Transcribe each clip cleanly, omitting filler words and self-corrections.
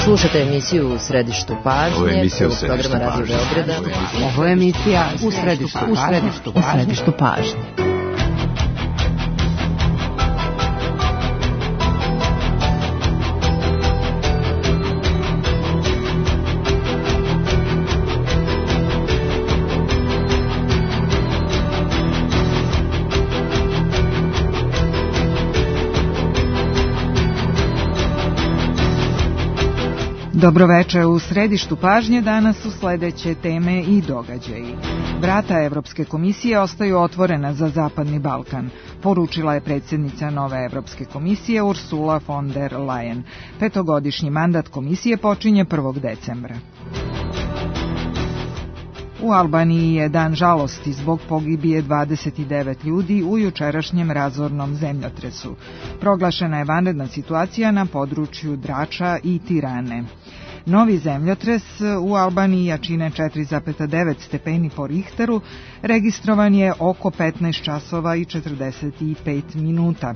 Slušate emisiju U središtu pažnje. Ovo je emisija U središtu pažnje. Ovo je emisija U središtu pažnje. Dobroveče, u središtu pažnje danas su sledeće teme i događaji. Vrata Evropske komisije ostaju otvorena za Zapadni Balkan, poručila je predsjednica nove Evropske komisije Ursula von der Leyen. Petogodišnji mandat komisije počinje 1. decembra. U Albaniji je dan žalosti zbog pogibije 29 ljudi u jučerašnjem razornom zemljotresu. Proglašena je vanredna situacija na području Drača i Tirane. Novi zemljotres u Albaniji jačine 4,9 stepeni po Richteru registrovan je oko 15 časova i 45 minuta.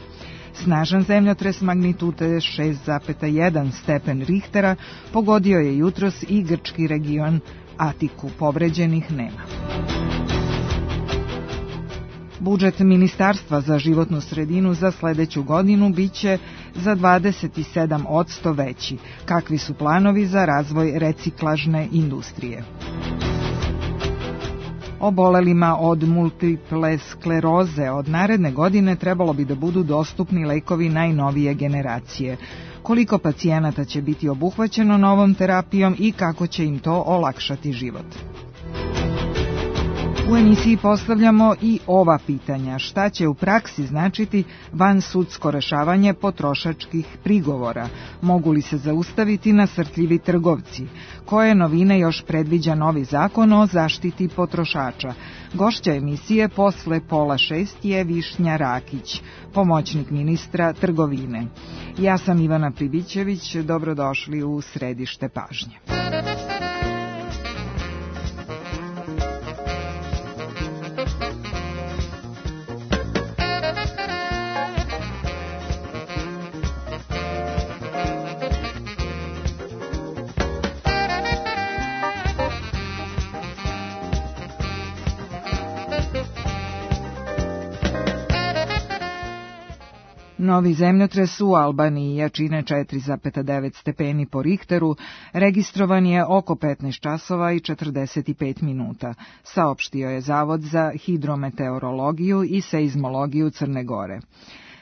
Snažan zemljotres magnitude 6,1 stepen Richtera pogodio je jutros i grčki region Atiku. Povređenih nema. Budžet Ministarstva za životnu sredinu za sledeću godinu biće za 27% veći. Kakvi su planovi za razvoj reciklažne industrije? Obolelima od multiple skleroze od naredne godine trebalo bi da budu dostupni lekovi najnovije generacije. Koliko pacijenata će biti obuhvaćeno novom terapijom i kako će im to olakšati život? U emisiji postavljamo i ova pitanja. Šta će u praksi značiti vansudsko rešavanje potrošačkih prigovora? Mogu li se zaustaviti nasrtljivi trgovci? Koje novine još predviđa novi zakon o zaštiti potrošača? Gošća emisije posle 5:30 je Višnja Rakić, pomoćnik ministra trgovine. Ja sam Ivana Pribićević, dobrodošli u središte pažnje. Novi zemljotres u Albaniji jačine 4,9 stepeni po Richteru registrovan je oko 15 časova i 45 minuta, saopštio je Zavod za hidrometeorologiju i seizmologiju Crne Gore.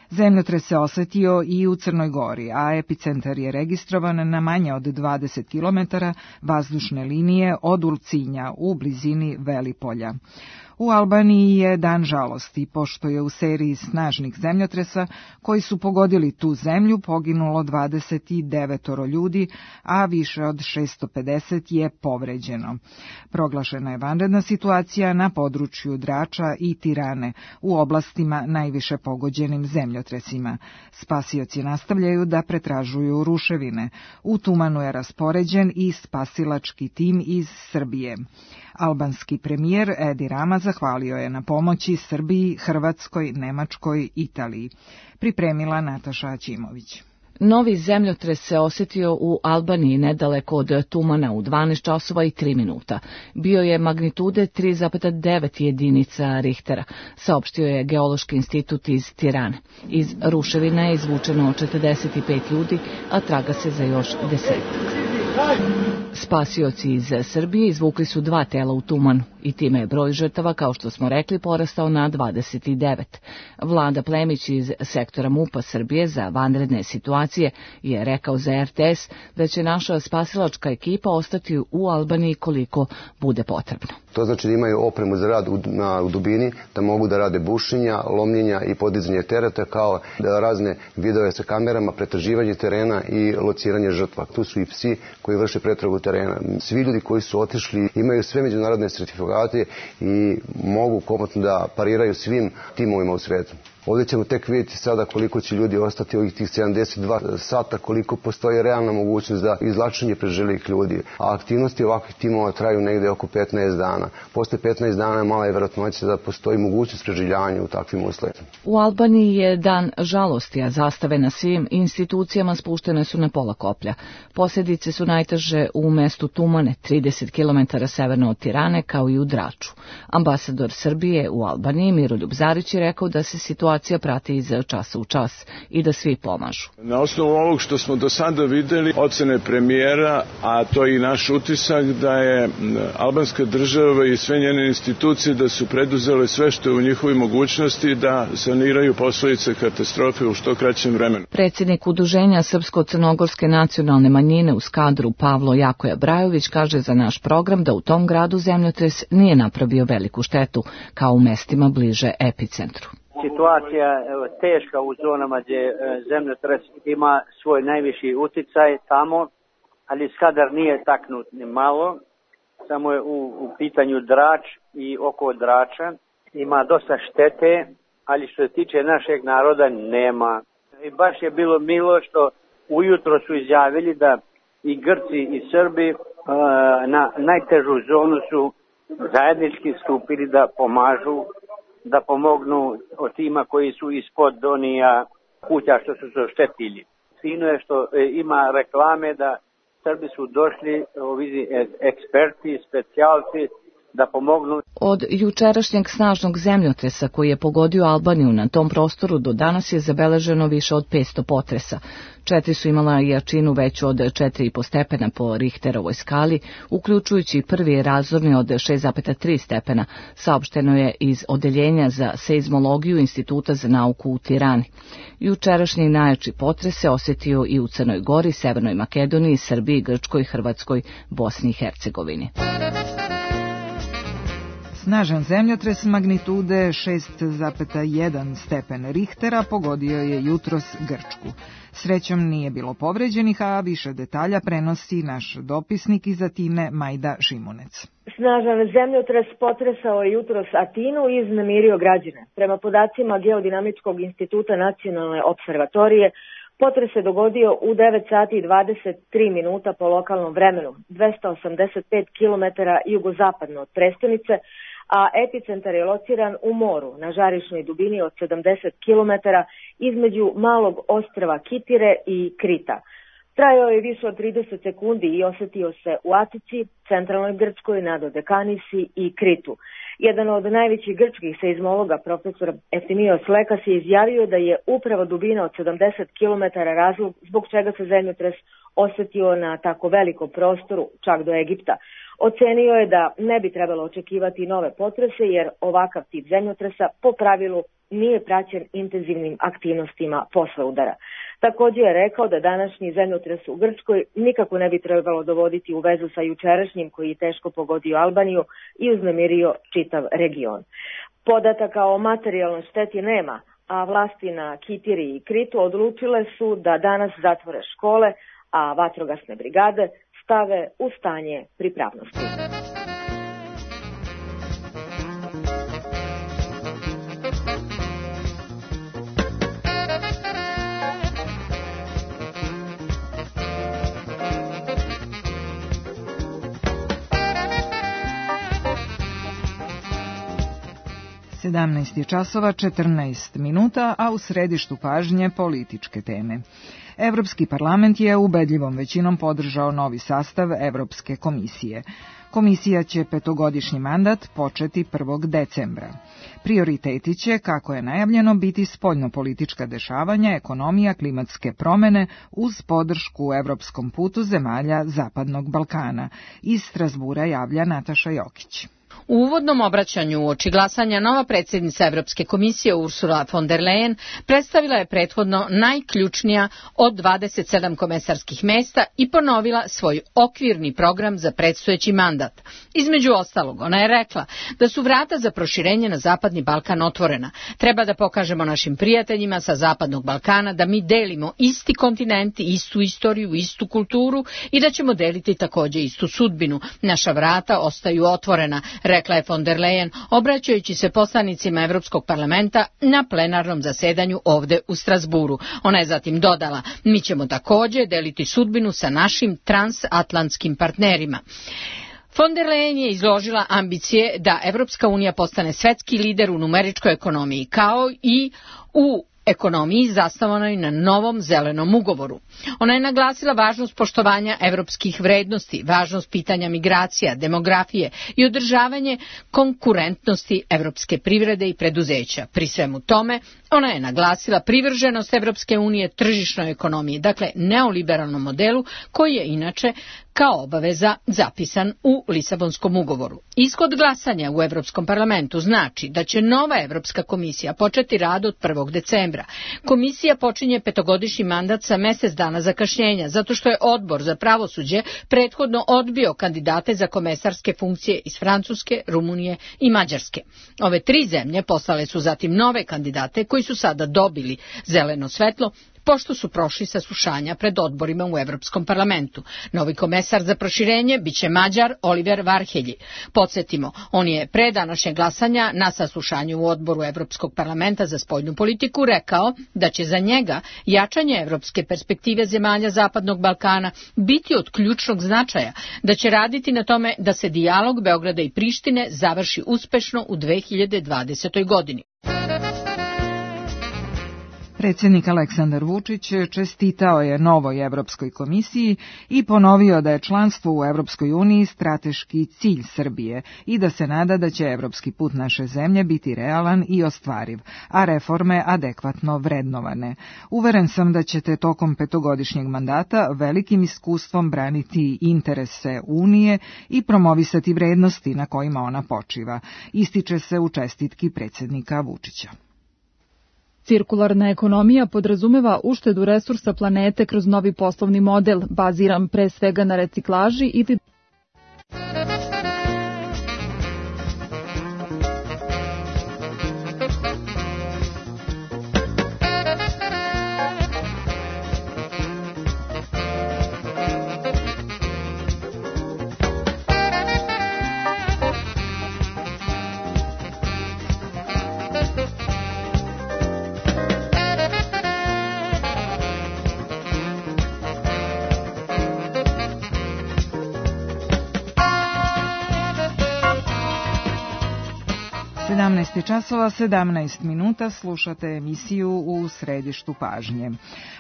Zemljotres se osetio i u Crnoj Gori, a epicentar je registrovan na manje od 20 km vazdušne linije od Ulcinja u blizini Velipolja. U Albaniji je dan žalosti, pošto je u seriji snažnih zemljotresa koji su pogodili tu zemlju poginulo 29 ljudi, a više od 650 je povređeno. Proglašena je vanredna situacija na području Drača i Tirane, u oblastima najviše pogođenim zemljotresima. Spasioci nastavljaju da pretražuju ruševine. U Tumanu je raspoređen i spasilački tim iz Srbije. Albanski premijer Edi Rama zahvalio je na pomoći Srbiji, Hrvatskoj, Nemačkoj, Italiji. Pripremila Nataša Aćimović. Novi zemljotres se osjetio u Albaniji nedaleko od Tumana u 12 časova i 3 minuta. Bio je magnitude 3,9 jedinica Richtera, saopštio je Geološki institut iz Tirane. Iz ruševina je izvučeno 45 ljudi, a traga se za još 10. Spasioci iz Srbije izvukli su 2 tela u Tumanu i time je broj žrtava, kao što smo rekli, porastao na 29. Vlada Plemić iz sektora MUP-a Srbije za vanredne situacije je rekao za RTS da će naša spasilačka ekipa ostati u Albaniji koliko bude potrebno. To znači da imaju opremu za rad u dubini, da mogu da rade bušenja, lomljenja i podizanje tereta, kao da razne vidove sa kamerama, pretraživanje terena i lociranje žrtva. Tu su i psi koji vrše pretragu terena. Svi ljudi koji su otišli imaju sve međunarodne sertifikate i mogu komotno da pariraju svim timovima u svetu. Ovdje ćemo tek vidjeti sada koliko će ljudi ostati ovih tih 72 sata, koliko postoji realna mogućnost za izvlačenje preživjelih ljudi. A aktivnosti ovakvih timova traju negde oko 15 dana. Posle 15 dana mala je vjerojatnoća da postoji mogućnost preživljavanja u takvim uslovima. U Albaniji je dan žalosti, a zastave na svim institucijama spuštene su na pola koplja. Posljedice su najteže u mestu Tumane, 30 km severno od Tirane, kao i u Draču. Ambasador Srbije u Albaniji, Miroljub Zarić, je rekao da se situacija prati iz časa u čas i da svi pomažu. Na osnovu ovog što smo do sada videli, ocene premijera, a to je i naš utisak, da je albanska država i sve njene institucije da su preduzele sve što je u njihovoj mogućnosti da saniraju posljedice katastrofe u što kraćem vremenu. Predsjednik Udruženja Srpsko-crnogorske nacionalne manjine u Skadru, Pavlo Jakoja Brajović, kaže za naš program da u tom gradu zemljotres nije napravio veliku štetu, kao u mestima bliže epicentru. Situacija je teška u zonama gdje zemljotres ima svoj najviši uticaj tamo, ali Skadar nije taknut ni malo, samo je u pitanju Drač i oko Drača. Ima dosta štete, ali što se tiče našeg naroda nema. I baš je bilo milo što ujutro su izjavili da i Grci i Srbi na najtežu zonu su zajednički stupili da pomažu, da pomognu od tima koji su ispod donija kuća što su se oštetili. Fino je što ima reklame da Srbi su došli, eksperti, specijalci, da pomognu. Od jučerašnjeg snažnog zemljotresa koji je pogodio Albaniju na tom prostoru do danas je zabeleženo više od 500 potresa. 4 su imala jačinu veću od 4,5 stepena po Richterovoj skali, uključujući prvi razorni od 6,3 stepena, saopšteno je iz Odeljenja za seizmologiju Instituta za nauku u Tirani. Jučerašnji najjači potres se osjetio i u Crnoj Gori, Severnoj Makedoniji, Srbiji, Grčkoj, Hrvatskoj, Bosni i Hercegovini. Snažan zemljotres magnitude 6,1 stepen Richtera pogodio je jutros Grčku. Srećom nije bilo povređenih, a više detalja prenosi naš dopisnik iz Atine Majda Šimunec. Snažan zemljotres potresao je jutros Atinu i iznemirio građane. Prema podacima Geodinamičkog instituta Nacionalne observatorije, potres se dogodio u 9 sati i 23 minuta po lokalnom vremenu, 285 km jugozapadno od prestonice, a epicentar je lociran u moru na žarišnoj dubini od 70 km između malog ostrva Kitire i Krita. Trajao je više od 30 sekundi i osjetio se u Atici, centralnoj Grčkoj, na Dodekanisi i Kritu. Jedan od najvećih grčkih seizmologa, profesor Eftimios Lekas, je izjavio da je upravo dubina od 70 km razlog zbog čega se zemljotres osjetio na tako velikom prostoru, čak do Egipta. Ocenio je da ne bi trebalo očekivati nove potrese jer ovakav tip zemljotresa po pravilu nije praćen intenzivnim aktivnostima posle udara. Također je rekao da današnji zemljotres u Grčkoj nikako ne bi trebalo dovoditi u vezu sa jučerašnjim koji je teško pogodio Albaniju i uznemirio čitav region. Podataka o materijalnoj šteti nema, a vlasti na Kitiri i Kritu odlučile su da danas zatvore škole, a vatrogasne brigade stave u stanje pripravnosti. Sedamnaest časova 14 minuta, a u središtu pažnje političke teme. Evropski parlament je ubedljivom većinom podržao novi sastav Evropske komisije. Komisija će petogodišnji mandat početi 1. decembra. Prioriteti će, kako je najavljeno, biti spoljnopolitička dešavanja, ekonomija, klimatske promene uz podršku Evropskom putu zemalja Zapadnog Balkana. Iz Strasbura javlja Nataša Jokić. U uvodnom obraćanju uoči glasanja nova predsjednica Evropske komisije Ursula von der Leyen predstavila je prethodno najključnija od 27 komesarskih mesta i ponovila svoj okvirni program za predstojeći mandat. Između ostalog, ona je rekla da su vrata za proširenje na Zapadni Balkan otvorena. Treba da pokažemo našim prijateljima sa Zapadnog Balkana da mi delimo isti kontinent, istu istoriju, istu kulturu i da ćemo deliti također istu sudbinu. Naša vrata ostaju otvorena. rekla je von der Leyen, obraćajući se poslanicima Evropskog parlamenta na plenarnom zasedanju ovde u Strasburu. Ona je zatim dodala, mi ćemo takođe deliti sudbinu sa našim transatlantskim partnerima. Von der Leyen je izložila ambicije da Evropska unija postane svetski lider u numeričkoj ekonomiji, kao i u ekonomiji zasnovanoj na novom zelenom ugovoru. Ona je naglasila važnost poštovanja evropskih vrednosti, važnost pitanja migracija, demografije i održavanje konkurentnosti evropske privrede i preduzeća. Pri svemu tome, ona je naglasila privrženost Evropske unije tržišnoj ekonomiji, dakle neoliberalnom modelu koji je inače kao obaveza zapisan u Lisabonskom ugovoru. Ishod glasanja u Evropskom parlamentu znači da će nova Evropska komisija početi rad od 1. decembra. Komisija počinje petogodišnji mandat sa mesec dana zakašnjenja, zato što je Odbor za pravosuđe prethodno odbio kandidate za komesarske funkcije iz Francuske, Rumunije i Mađarske. Ove 3 zemlje poslale su zatim nove kandidate koji su sada dobili zeleno svetlo, pošto su prošli saslušanja pred odborima u Evropskom parlamentu. Novi komesar za proširenje biće Mađar Oliver Varhelyi. Podsjetimo, on je pre današnjeg glasanja na saslušanju u odboru Evropskog parlamenta za spoljnu politiku rekao da će za njega jačanje evropske perspektive zemalja Zapadnog Balkana biti od ključnog značaja, da će raditi na tome da se dijalog Beograda i Prištine završi uspešno u 2020. godini. Predsjednik Aleksandar Vučić čestitao je novoj Evropskoj komisiji i ponovio da je članstvo u Evropskoj uniji strateški cilj Srbije i da se nada da će evropski put naše zemlje biti realan i ostvariv, a reforme adekvatno vrednovane. Uveren sam da ćete tokom petogodišnjeg mandata velikim iskustvom braniti interese Unije i promovisati vrednosti na kojima ona počiva, ističe se u čestitki predsjednika Vučića. Cirkularna ekonomija podrazumeva uštedu resursa planete kroz novi poslovni model, baziran pre svega na reciklaži ili časova 17 minuta, slušate emisiju U središtu pažnje.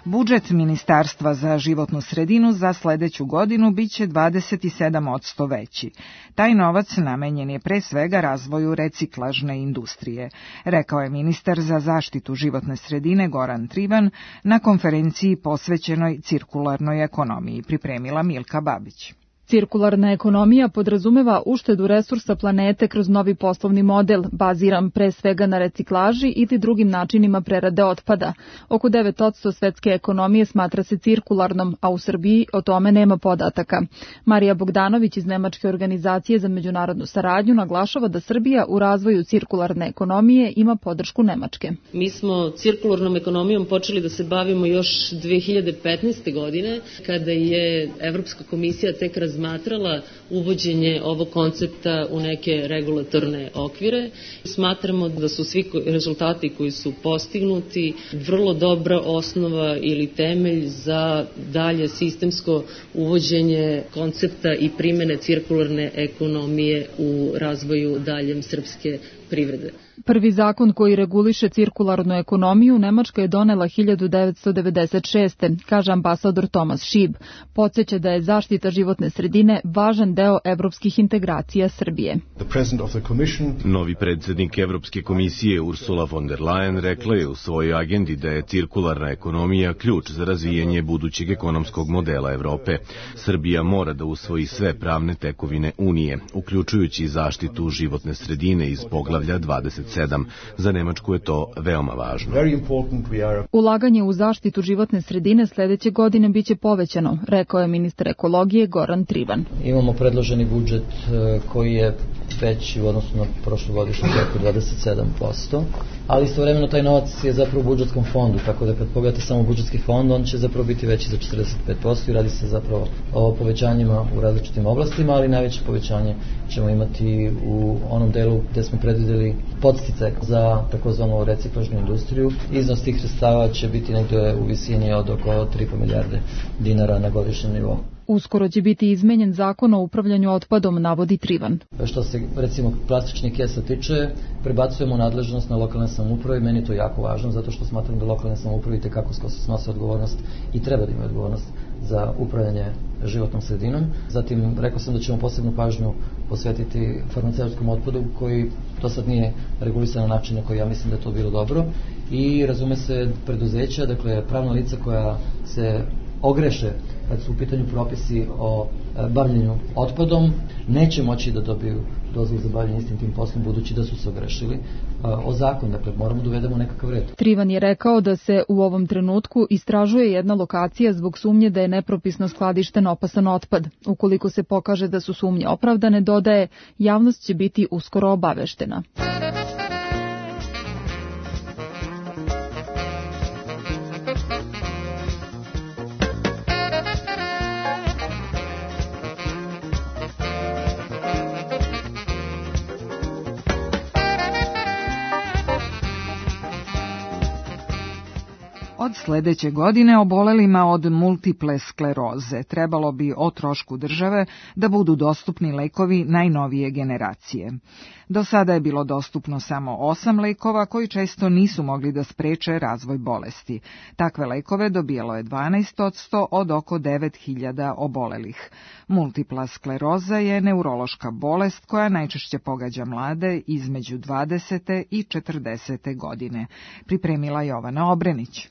Budžet Ministarstva za životnu sredinu za sledeću godinu biće 27% veći. Taj novac namenjen je pre svega razvoju reciklažne industrije, rekao je ministar za zaštitu životne sredine Goran Trivan na konferenciji posvećenoj cirkularnoj ekonomiji, pripremila Milka Babić. Cirkularna ekonomija podrazumeva uštedu resursa planete kroz novi poslovni model, baziran pre svega na reciklaži ili drugim načinima prerade otpada. Oko 9% svetske ekonomije smatra se cirkularnom, a u Srbiji o tome nema podataka. Marija Bogdanović iz Nemačke organizacije za međunarodnu saradnju naglašava da Srbija u razvoju cirkularne ekonomije ima podršku Nemačke. Mi smo cirkularnom ekonomijom počeli da se bavimo još 2015. godine, kada je Evropska komisija tek razmatrala uvođenje ovog koncepta u neke regulatorne okvire. Smatramo da su svi rezultati koji su postignuti vrlo dobra osnova ili temelj za dalje sistemsko uvođenje koncepta i primene cirkularne ekonomije u razvoju daljem srpske privrede. Prvi zakon koji reguliše cirkularnu ekonomiju Nemačka je donela 1996. kaže ambasador Tomas Šib. Podsjeća da je zaštita životne sredine važan deo evropskih integracija Srbije. Novi predsjednik Evropske komisije Ursula von der Leyen rekla je u svojoj agendi da je cirkularna ekonomija ključ za razvijanje budućeg ekonomskog modela Evrope. Srbija mora da usvoji sve pravne tekovine Unije, uključujući zaštitu životne sredine iz poglavlja 27. 27. Za Nemačku je to veoma važno. Ulaganje u zaštitu životne sredine sledeće godine biće povećano, rekao je ministar ekologije Goran Trivan. Imamo predloženi budžet koji je veći u odnosu na prošlogodišnji preko 27%, ali istovremeno taj novac je zapravo u budžetskom fondu, tako da kad pogledate samo budžetski fond, on će zapravo biti veći za 45% i radi se zapravo o povećanjima u različitim oblastima, ali najveće povećanje ćemo imati u onom delu gde smo predvideli podsticaj za takozvanu reciklažnu industriju. Iznos tih sredstava će biti negde u visini od oko 3,5 milijarde dinara na godišnjem nivou. Uskoro će biti izmenjen zakon o upravljanju otpadom, navodi Trivan. Što se recimo plastičnih kesa tiče, prebacujemo nadležnost na lokalne samouprave i meni je to jako važno zato što smatram da lokalne samouprave itekako snose odgovornost i treba da imaju odgovornost za upravljanje životnom sredinom. Zatim rekao sam da ćemo posebnu pažnju posvetiti farmaceutskom otpadu koji do sad nije regulisan na način na koji ja mislim da je to bilo dobro i razume se preduzeća, dakle pravna lica koja se ogreše kad su u pitanju propisi o bavljenju otpadom, neće moći da dobiju dozvolu za bavljenje istim tim poslom budući da su se ogrešili o zakon, dakle moramo da uvedemo nekakav red. Trivan je rekao da se u ovom trenutku istražuje jedna lokacija zbog sumnje da je nepropisno skladišten opasan otpad. Ukoliko se pokaže da su sumnje opravdane, dodaje, javnost će biti uskoro obaveštena. Od sledeće godine obolelima od multiple skleroze trebalo bi o trošku države da budu dostupni lekovi najnovije generacije. Do sada je bilo dostupno samo 8 lekova koji često nisu mogli da spreče razvoj bolesti. Takve lekove dobijalo je 12% od oko 9.000 obolelih. Multipla skleroza je neurološka bolest koja najčešće pogađa mlade između 20. i 40. godine. Pripremila Jovana Obrenić.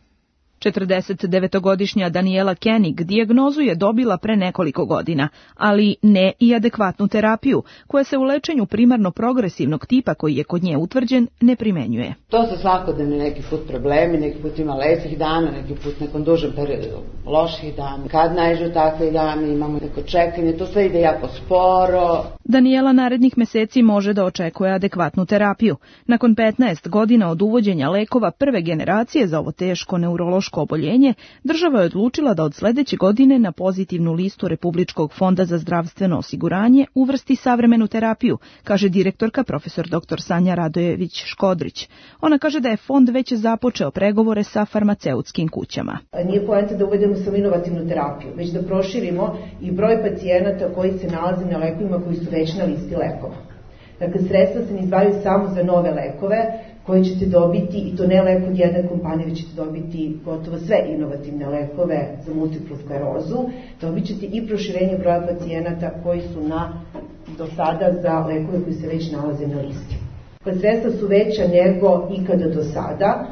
49-godišnja Daniela Koenig dijagnozu je dobila pre nekoliko godina, ali ne i adekvatnu terapiju, koja se u lečenju primarno progresivnog tipa koji je kod nje utvrđen ne primenjuje. To su svakodnevni neki put problemi, neki put ima lepih dana, neki put nekom dužem periodu loših dana. Kad naiđu takve dane, imamo neko čekanje, to sve ide jako sporo. Daniela narednih meseci može da očekuje adekvatnu terapiju. Nakon 15 godina od uvođenja lekova prve generacije za ovo teško neurološko oboljenje, država je odlučila da od sledeće godine na pozitivnu listu Republičkog fonda za zdravstveno osiguranje uvrsti savremenu terapiju, kaže direktorka profesor dr. Sanja Radojević-Škodrić. Ona kaže da je fond već započeo pregovore sa farmaceutskim kućama. Nije poenta da uvedemo samo inovativnu terapiju, već da proširimo i broj pacijenata koji se nalaze na lekovima koji su već na listi lekova. Dakle, sredstva se ne izdvajaju samo za nove lekove koje ćete dobiti, i to ne lek od jedne kompanije, već ćete dobiti gotovo sve inovativne lekove za multiplu sklerozu. Dobit ćete i proširenje broja pacijenata koji su do sada za lekove koji se već nalaze na listi. Sredstva su veća nego ikada do sada,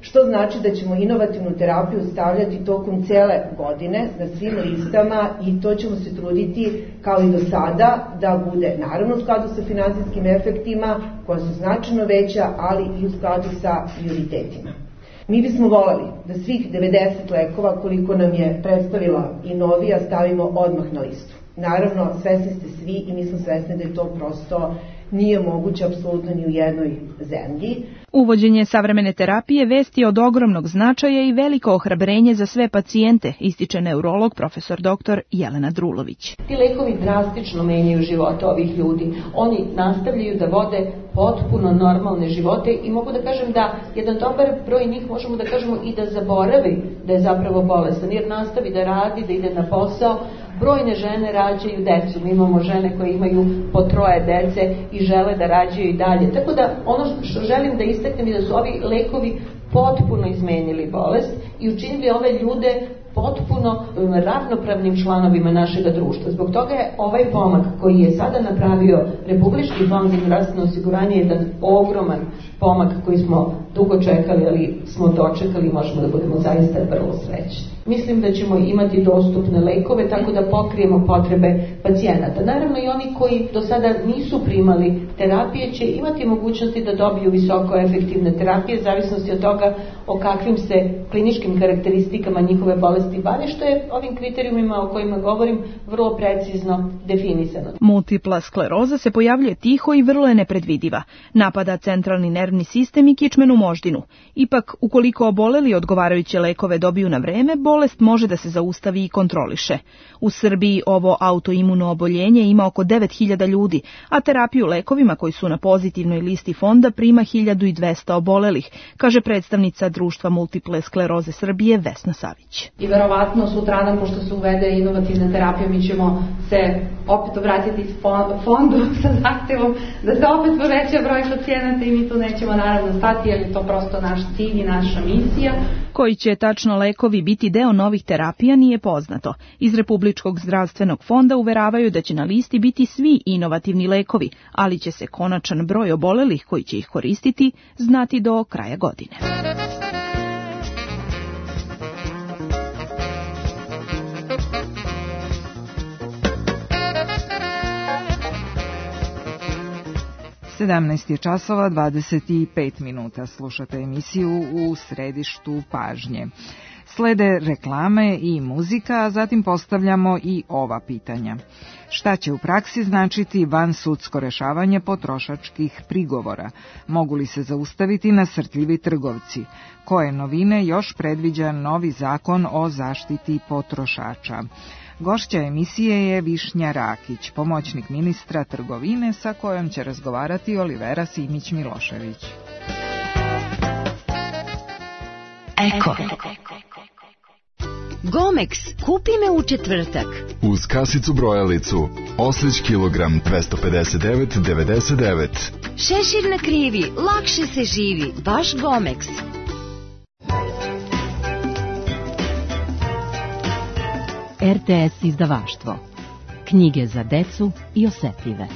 što znači da ćemo inovativnu terapiju stavljati tokom cele godine na svim listama i to ćemo se truditi kao i do sada da bude naravno u skladu sa finansijskim efektima koja su značajno veća, ali i u skladu sa prioritetima. Mi bismo voleli da svih 90 lekova koliko nam je predstavila i novija stavimo odmah na listu. Naravno, svesni ste svi i mi smo svesni da je to prosto nije moguće apsolutno ni u jednoj zemlji. Uvođenje savremene terapije vesti od ogromnog značaja i veliko ohrabrenje za sve pacijente, ističe neurolog profesor dr. Jelena Drulović. Ti lekovi drastično menjaju živote ovih ljudi. Oni nastavljaju da vode potpuno normalne živote i mogu da kažem da jedan dobar broj njih možemo da kažemo i da zaboravi da je zapravo bolestan, jer nastavi da radi, da ide na posao. Brojne žene rađaju decu, mi imamo žene koje imaju po 3 dece i žele da rađaju i dalje. Tako da ono što želim da istaknem je da su ovi lekovi potpuno izmenili bolest i učinili ove ljude potpuno ravnopravnim članovima našeg društva. Zbog toga je ovaj pomak koji je sada napravio Republički fond za zdravstveno osiguranje jedan ogroman pomak koji smo dugo čekali, ali smo dočekali i možemo da budemo zaista vrlo srećni. Mislim da ćemo imati dostupne lekove tako da pokrijemo potrebe pacijenata. Naravno i oni koji do sada nisu primali terapije će imati mogućnosti da dobiju visoko efektivne terapije, zavisnosti od toga o kakvim se kliničkim karakteristikama njihove bolesti bave, što je ovim kriterijumima o kojima govorim vrlo precizno definisano. Multipla skleroza se pojavljuje tiho i vrlo je nepredvidiva. Napada centralni nervni sistem i kičmenu moždinu. Ipak, ukoliko oboleli odgovarajuće lekove dobiju na vreme, bolest može da se zaustavi i kontroliše. U Srbiji ovo autoimuno oboljenje ima oko 9000 ljudi, a terapiju lekovima koji su na pozitivnoj listi fonda prima 1200 obolelih, kaže predstavnica Društva multiple skleroze Srbije Vesna Savić. I verovatno sutradan, pošto se uvede inovativna terapija, mi ćemo se opet obratiti fondu sa zahtevom da se opet poveća broj pacijenata i mi tu nećemo naravno stati, jer je to prosto naš cilj i naša misija. Koji će tačno lekovi biti deo novih terapija nije poznato. Iz Republičkog zdravstvenog fonda uveravaju da će na listi biti svi inovativni lekovi, ali će se konačan broj obolelih koji će ih koristiti znati do kraja godine. Sedamnaest je časova 25 minuta. Slušate emisiju U središtu pažnje. Slede reklame i muzika, a zatim postavljamo i ova pitanja. Šta će u praksi značiti vansudsko rešavanje potrošačkih prigovora? Mogu li se zaustaviti nasrtljivi trgovci? Koje novine još predviđa novi zakon o zaštiti potrošača? Gošća emisije je Višnja Rakić, pomoćnik ministra trgovine, sa kojom će razgovarati Olivera Simić-Milošević. Eko. Gomex, kupi me u četvrtak. Uz kasicu brojalicu, oslić kilogram 259,99. Šešir na krivi, lakše se živi, baš Gomex. RTS izdavaštvo. Knjige za decu i osetljive.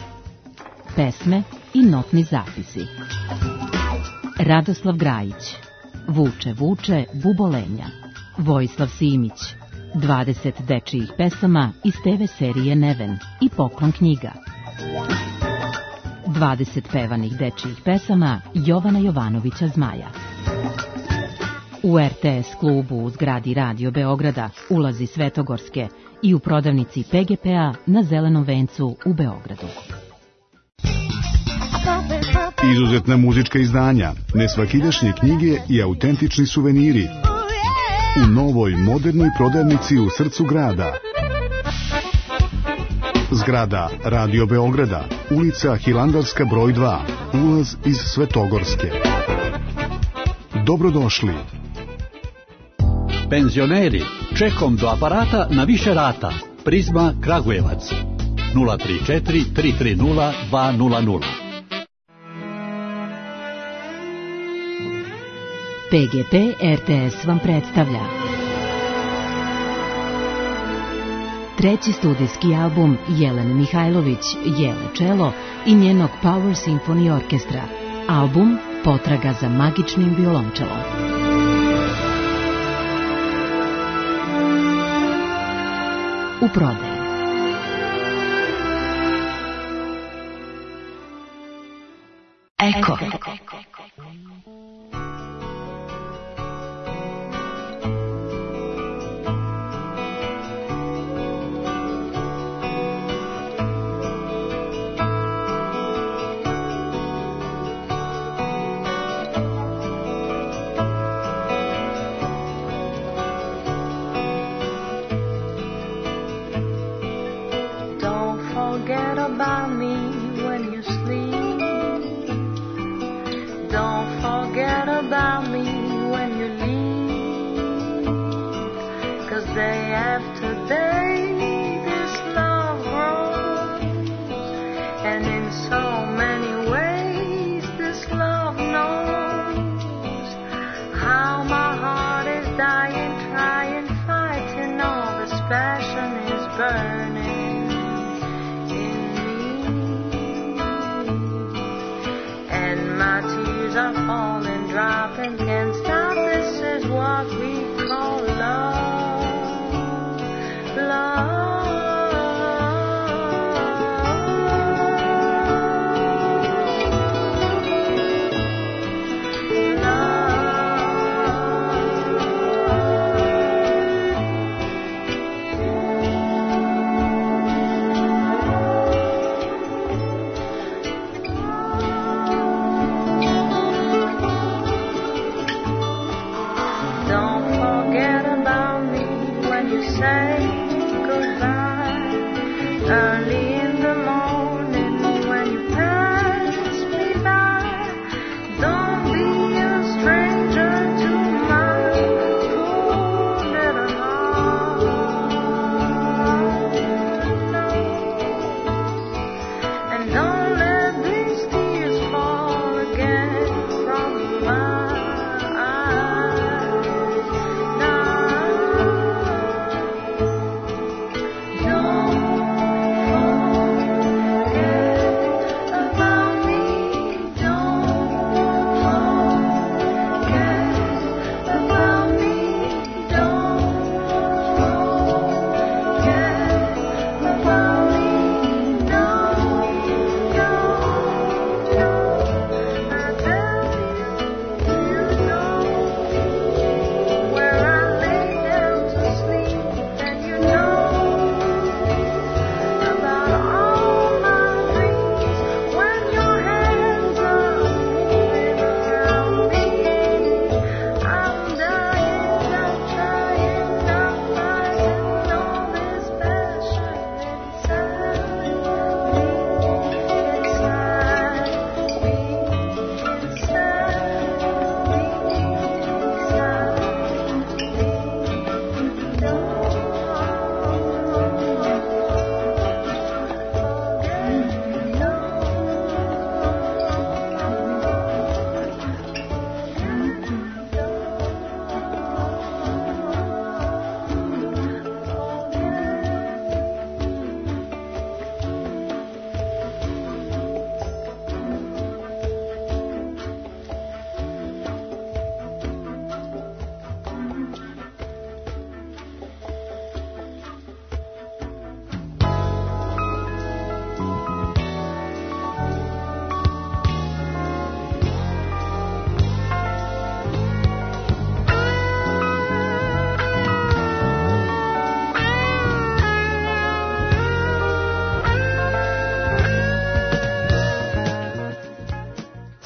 Pesme i notni zapisi. Radoslav Grajić. Vuče, vuče, bubolenja. Vojislav Simić. 20 dečijih pesama iz TV serije Neven i Poklon knjiga. 20 pevanih dečijih pesama Jovana Jovanovića Zmaja. U RTS klubu u zgradi Radio Beograda, ulazi Svetogorske i u prodavnici PGP-a na Zelenom vencu u Beogradu. Izuzetna muzička izdanja, nesvakidašnje knjige i autentični suveniri u novoj modernoj prodavnici u srcu grada. Zgrada Radio Beograda, ulica Hilandarska broj 2, ulaz iz Svetogorske. Dobrodošli. Penzioneri, čekom do aparata na više rata. Prizma Kragujevac 034 330 200. PGP RTS vam predstavlja treći studijski album Jelene Mihajlović, Jele Čelo i njenog Power Symphony Orkestra. Album Potraga za magičnim violončelom. U prodaji. Eko.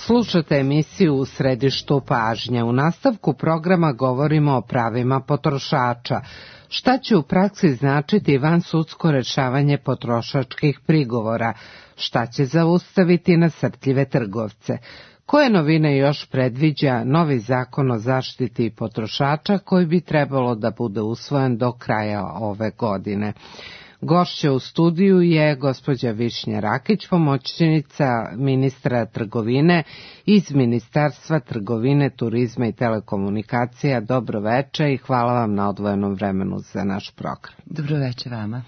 Slušate emisiju U središtu pažnje. U nastavku programa govorimo o pravima potrošača. Šta će u praksi značiti vansudsko rešavanje potrošačkih prigovora? Šta će zaustaviti nasrtljive trgovce? Koje novine još predviđa novi zakon o zaštiti potrošača koji bi trebalo da bude usvojen do kraja ove godine? Gošća u studiju je gospođa Višnja Rakić, pomoćnica ministra trgovine iz Ministarstva trgovine, turizma i telekomunikacija. Dobro veče i hvala vam na odvojenom vremenu za naš program. Dobro veče vama.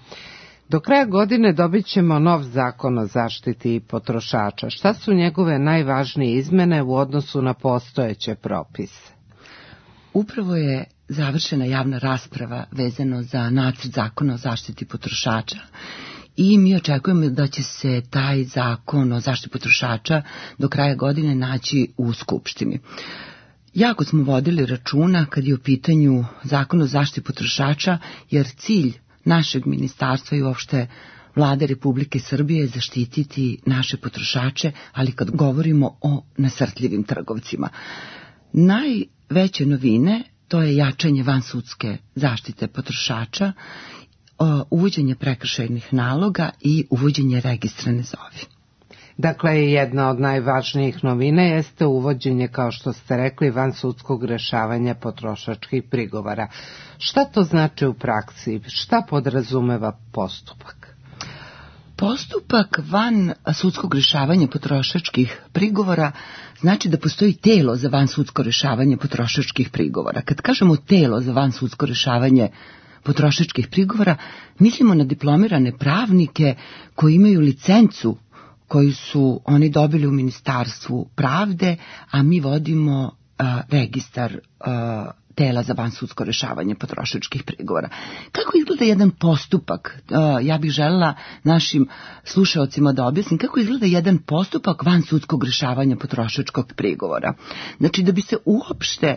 Do kraja godine dobit ćemo nov zakon o zaštiti potrošača. Šta su njegove najvažnije izmene u odnosu na postojeće propise? Upravo je završena javna rasprava vezano za nacrt zakona o zaštiti potrošača i mi očekujemo da će se taj zakon o zaštiti potrošača do kraja godine naći u Skupštini. Jako smo vodili računa kad je u pitanju zakon o zaštiti potrošača, jer cilj našeg ministarstva i uopšte Vlade Republike Srbije je zaštititi naše potrošače, ali kad govorimo o nasrtljivim trgovcima. Najveće novine to je jačanje vansudske zaštite potrošača, uvođenje prekršajnih naloga i uvođenje registra ne zovi. Dakle, jedna od najvažnijih novina jeste uvođenje, kao što ste rekli, vansudskog rešavanja potrošačkih prigovora. Šta to znači u praksi? Šta podrazumeva postupak? Postupak van sudskog rešavanja potrošačkih prigovora znači da postoji telo za vansudsko rešavanje potrošačkih prigovora. Kad kažemo telo za vansudsko rešavanje potrošačkih prigovora, mislimo na diplomirane pravnike koji imaju licencu koju su oni dobili u Ministarstvu pravde, a mi vodimo registar tela za vansudsko rešavanje potrošačkih prigovora. Kako izgleda jedan postupak? Ja bih želela našim slušaocima da objasnim kako izgleda jedan postupak vansudskog rešavanja potrošačkog prigovora. Znači, da bi se uopšte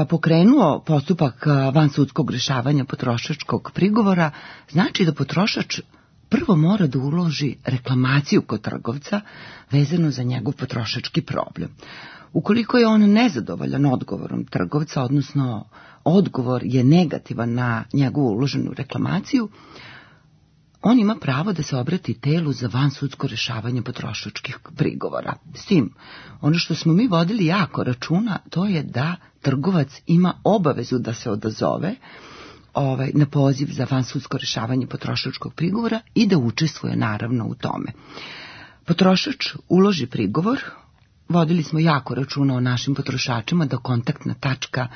pokrenuo postupak vansudskog rešavanja potrošačkog prigovora, znači da potrošač prvo mora da uloži reklamaciju kod trgovca vezano za njegov potrošački problem. Ukoliko je on nezadovoljan odgovorom trgovca, odnosno odgovor je negativan na njegovu uloženu reklamaciju, on ima pravo da se obrati telu za vansudsko rešavanje potrošačkih prigovora. S tim, ono što smo mi vodili jako računa, to je da trgovac ima obavezu da se odazove na poziv za vansudsko rešavanje potrošačkog prigovora i da učestvuje naravno u tome. Potrošač uloži prigovor, vodili smo jako računa o našim potrošačima da kontaktna tačka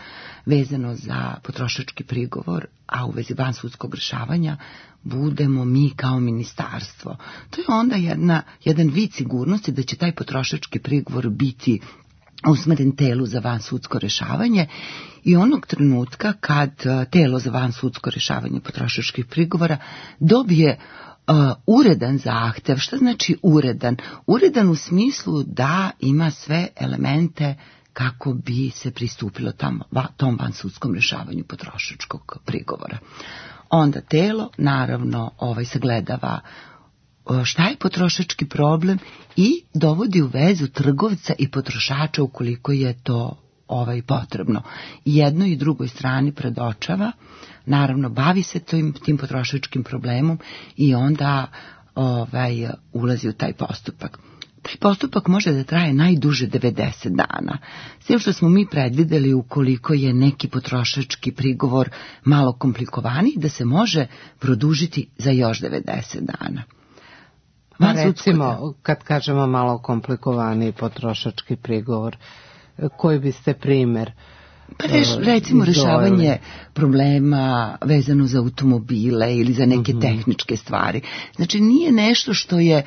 vezano za potrošački prigovor, a u vezi vansudskog rešavanja, budemo mi kao ministarstvo. To je onda jedan vid sigurnosti da će taj potrošački prigovor biti usmeren telu za vansudsko rešavanje i onog trenutka kad telo za vansudsko rešavanje potrošačkih prigovora dobije uredan zahtev. Šta znači uredan? Uredan u smislu da ima sve elemente kako bi se pristupilo tom vansudskom rešavanju potrošačkog prigovora. Onda telo naravno sagledava šta je potrošački problem i dovodi u vezu trgovca i potrošača ukoliko je to potrebno. Jednoj i drugoj strani predočava, naravno bavi se tim potrošačkim problemom i onda ulazi u taj postupak. Taj postupak može da traje najduže 90 dana. S tim što smo mi predvideli ukoliko je neki potrošački prigovor malo komplikovaniji, da se može produžiti za još 90 dana. Recimo, kad kažemo malo komplikovaniji potrošački prigovor, koji biste primer? Recimo rešavanje problema vezano za automobile ili za neke tehničke stvari. Znači nije nešto što je,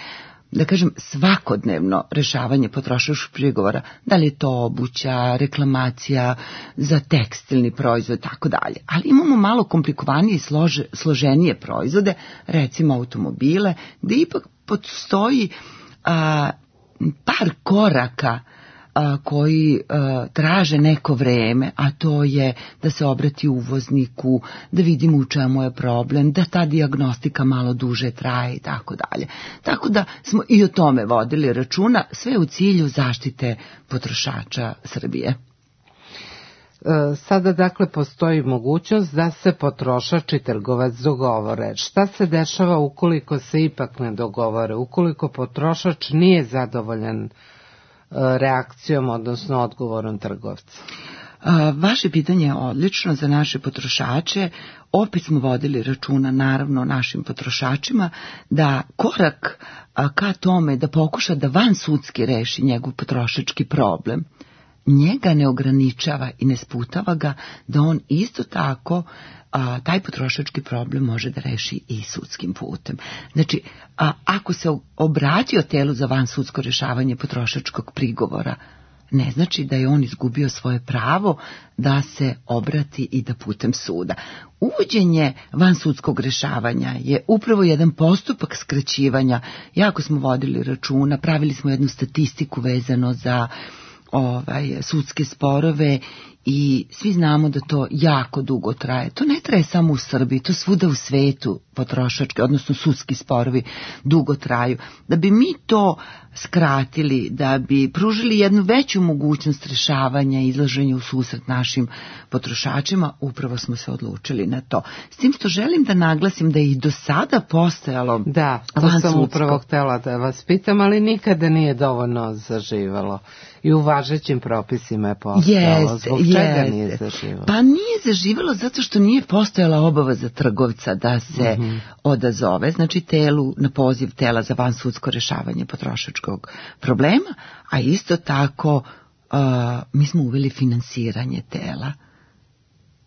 da kažem, svakodnevno rešavanje potrošačkih prigovora, da li je to obuća, reklamacija za tekstilni proizvod, tako dalje. Ali imamo malo komplikovanije i složenije proizvode, recimo automobile, gdje ipak postoji par koraka koji traže neko vreme, a to je da se obrati uvozniku, da vidimo u čemu je problem, da ta dijagnostika malo duže traje i tako dalje. Tako da smo i o tome vodili računa, sve u cilju zaštite potrošača Srbije. Sada dakle postoji mogućnost da se potrošač i trgovac dogovore. Šta se dešava ukoliko se ipak ne dogovore, ukoliko potrošač nije zadovoljan reakcijom, odnosno odgovorom trgovca? Vaše pitanje je odlično za naše potrošače. Opet smo vodili računa, naravno, našim potrošačima, da korak ka tome da pokuša da vansudski reši njegov potrošački problem, njega ne ograničava i ne sputava ga da on isto tako taj potrošački problem može da reši i sudskim putem. Znači, ako se obratio telu za vansudsko rešavanje potrošačkog prigovora, ne znači da je on izgubio svoje pravo da se obrati i da putem suda. Uvođenje vansudskog rešavanja je upravo jedan postupak skraćivanja. Jako smo vodili računa, pravili smo jednu statistiku vezano za sudske sporove i svi znamo da to jako dugo traje. To ne traje samo u Srbiji, to svuda u svetu potrošački, odnosno sudski sporovi dugo traju. Da bi mi to skratili, da bi pružili jednu veću mogućnost rešavanja i izlaženja u susret našim potrošačima, upravo smo se odlučili na to. S tim što želim da naglasim da je i do sada postojalo to sam upravo htjela da vas pitam, ali nikada nije dovoljno zaživalo. I u važećim propisima je postojalo. Zbog čega nije zaživalo? Pa nije zaživalo zato što nije postojala obaveza trgovca da se odazove, znači telu, na poziv tela za vansudsko rešavanje potrošačkog problema, a isto tako mi smo uveli finansiranje tela.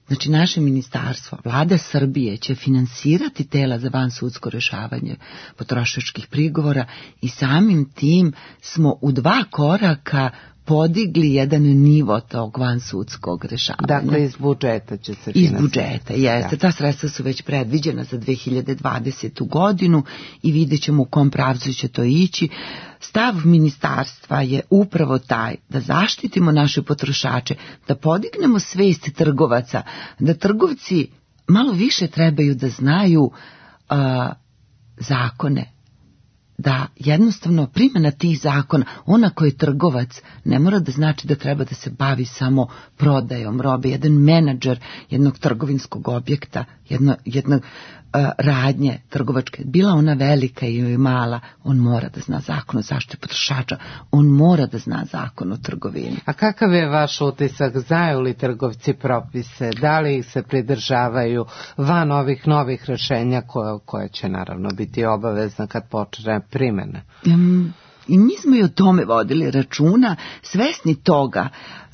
Znači, naše ministarstvo, vlada Srbije će finansirati tela za vansudsko rešavanje potrošačkih prigovora i samim tim smo u 2 koraka podigli jedan nivo tog vansudskog rešavanja. Dakle, iz budžeta će se finansirati. Iz budžeta, jeste. Ta sredstva su već predviđena za 2020. godinu i vidjet ćemo u kom pravcu će to ići. Stav ministarstva je upravo taj da zaštitimo naše potrošače, da podignemo svest trgovaca, da trgovci malo više trebaju da znaju zakone, da jednostavno primjena tih zakona, ona koji je trgovac, ne mora da znači da treba da se bavi samo prodajom robe. Jedan menadžer jednog trgovinskog objekta, jednog radnje trgovačke, bila ona velika ili mala, on mora da zna zakon o zaštiti potrošača, on mora da zna zakon o trgovini. A kakav je vaš utisak? Znaju li trgovci propise? Da li ih se pridržavaju van ovih novih rešenja koje će naravno biti obavezna kad počne primjena? I mi smo i o tome vodili računa, svesni toga.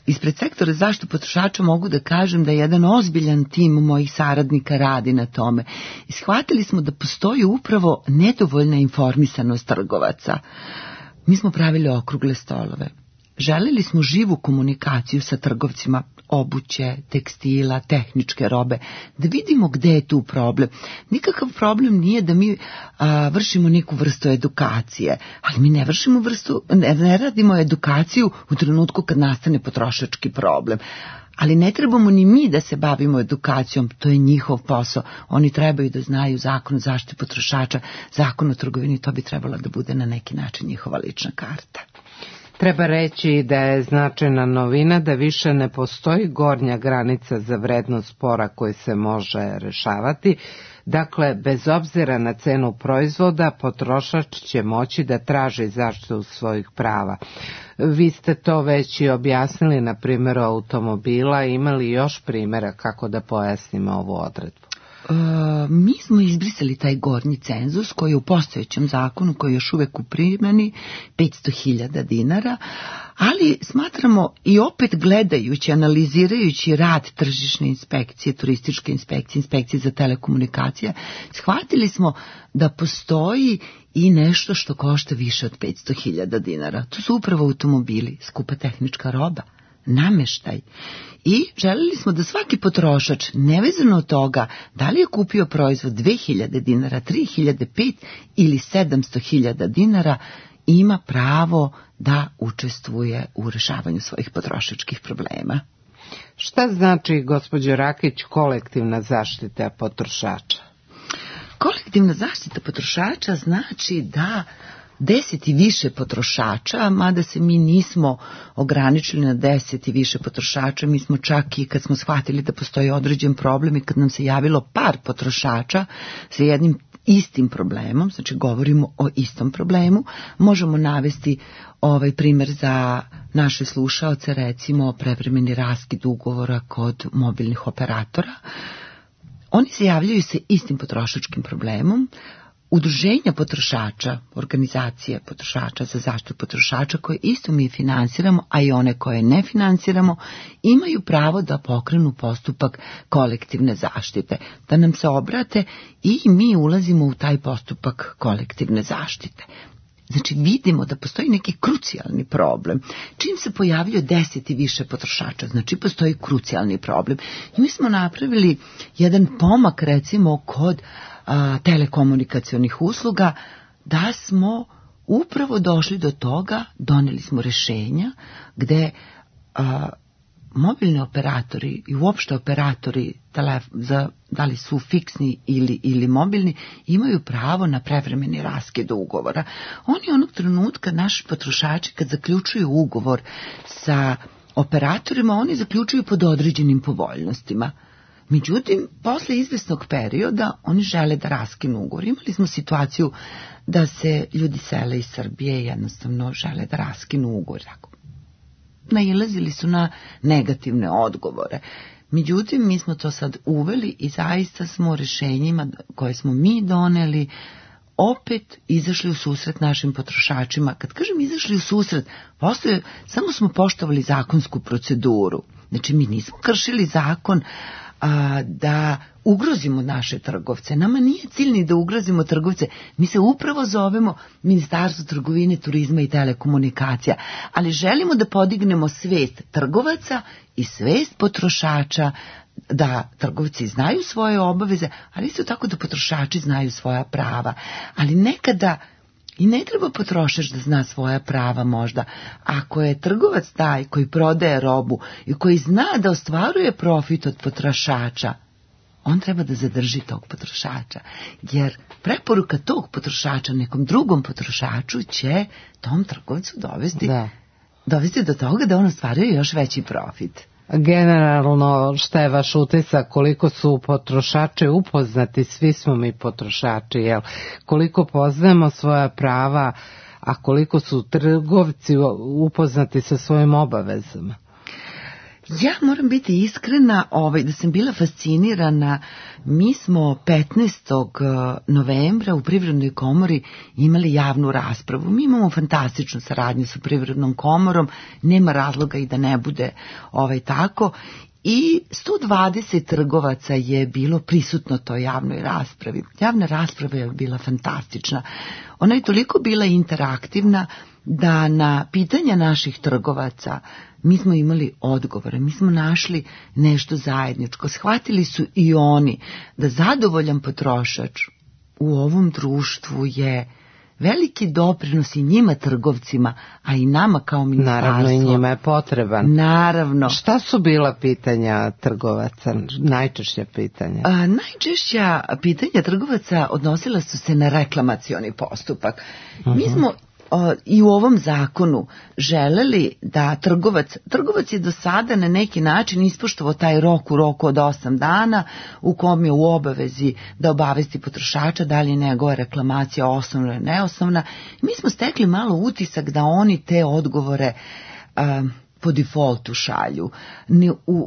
Ispred sektora zaštitu potrošača mogu da kažem da jedan ozbiljan tim mojih saradnika radi na tome. I shvatili smo da postoji upravo nedovoljna informisanost trgovaca. Mi smo pravili okrugle stolove. Želeli smo živu komunikaciju sa trgovcima obuće, tekstila, tehničke robe, da vidimo gde je tu problem. Nikakav problem nije da mi vršimo neku vrstu edukacije, ali mi ne radimo edukaciju u trenutku kad nastane potrošački problem. Ali ne trebamo ni mi da se bavimo edukacijom, to je njihov posao. Oni trebaju da znaju zakon o zaštiti potrošača, zakon o trgovini, to bi trebalo da bude na neki način njihova lična karta. Treba reći da je značajna novina da više ne postoji gornja granica za vrednost spora koji se može rešavati. Dakle, bez obzira na cenu proizvoda, potrošač će moći da traži zaštitu svojih prava. Vi ste to već i objasnili na primjeru automobila. Imali još primjera kako da pojasnimo ovu odredbu? Mi smo izbrisali taj gornji cenzus koji je u postojećem zakonu, koji je još uvek u primjeni, 500.000 dinara, ali smatramo i opet gledajući, analizirajući rad tržišne inspekcije, turističke inspekcije, inspekcije za telekomunikacije, shvatili smo da postoji i nešto što košta više od 500.000 dinara. To su upravo automobili, skupa tehnička roba, nameštaj. I želeli smo da svaki potrošač, nevezano od toga da li je kupio proizvod 2.000 dinara, 3.000, 5 ili 700.000 dinara, ima pravo da učestvuje u rešavanju svojih potrošačkih problema. Šta znači, gospođo Rakić, kolektivna zaštita potrošača? Kolektivna zaštita potrošača znači da 10 i više potrošača, mada se mi nismo ograničili na 10 i više potrošača, mi smo čak i kad smo shvatili da postoji određen problem i kad nam se javilo par potrošača sa jednim istim problemom, znači govorimo o istom problemu, možemo navesti primjer za naše slušaoce, recimo prevremeni raskid ugovora kod mobilnih operatora. Oni se javljaju sa istim potrošačkim problemom. Udruženja potrošača, organizacije potrošača za zaštitu potrošača koje isto mi finansiramo, a i one koje ne finansiramo, imaju pravo da pokrenu postupak kolektivne zaštite, da nam se obrate i mi ulazimo u taj postupak kolektivne zaštite. Znači vidimo da postoji neki krucijalni problem. Čim se pojavljuje 10 i više potrošača, znači postoji krucijalni problem. I mi smo napravili jedan pomak recimo kod telekomunikacionih usluga, da smo upravo došli do toga, doneli smo rešenja gde mobilni operatori i uopšte operatori da li su fiksni ili mobilni, imaju pravo na prevremeni raskid ugovora. Oni onog trenutka, naši potrošači, kad zaključuju ugovor sa operatorima, oni zaključuju pod određenim povoljnostima. Međutim, posle izvesnog perioda oni žele da raskinu ugovor. Imali smo situaciju da se ljudi sele iz Srbije i jednostavno žele da raskinu ugovor. Nailazili su na negativne odgovore. Međutim, mi smo to sad uveli i zaista smo rešenjima koje smo mi doneli opet izašli u susret našim potrošačima. Kad kažem izašli u susret, samo smo poštovali zakonsku proceduru. Znači, mi nismo kršili zakon da ugrozimo naše trgovce. Nama nije cilj ni da ugrozimo trgovce. Mi se upravo zovemo Ministarstvo trgovine, turizma i telekomunikacija, ali želimo da podignemo svest trgovaca i svest potrošača, da trgovci znaju svoje obaveze, ali isto tako da potrošači znaju svoja prava. Ali nekada i ne treba potrošač da zna svoja prava možda. Ako je trgovac taj koji prodaje robu i koji zna da ostvaruje profit od potrošača, on treba da zadrži tog potrošača. Jer preporuka tog potrošača nekom drugom potrošaču će tom trgovcu dovesti do toga da on ostvaruje još veći profit. Generalno, šta je vaš utisak, koliko su potrošači upoznati, svi smo mi potrošači, jel? Koliko poznajemo svoja prava, a koliko su trgovci upoznati sa svojim obavezama? Ja moram biti iskrena, da sam bila fascinirana. Mi smo 15. novembra u Privrednoj komori imali javnu raspravu. Mi imamo fantastičnu saradnju sa Privrednom komorom, nema razloga i da ne bude tako. I 120 trgovaca je bilo prisutno toj javnoj raspravi. Javna rasprava je bila fantastična. Ona je toliko bila interaktivna da na pitanja naših trgovaca mi smo imali odgovore, mi smo našli nešto zajedničko. Shvatili su i oni da zadovoljan potrošač u ovom društvu je veliki doprinos i njima trgovcima, a i nama kao ministarstvo. Naravno, i njima je potreban. Naravno. Šta su bila pitanja trgovaca, najčešća pitanja? Najčešća pitanja trgovaca odnosila su se na reklamacioni postupak. Mi smo i u ovom zakonu želeli da trgovac je do sada na neki način ispoštovao taj rok u roku od 8 dana u kom je u obavezi da obavesti potrošača da li je njegova reklamacija osnovna ili neosnovna. Mi smo stekli malo utisak da oni te odgovore po defaultu šalju.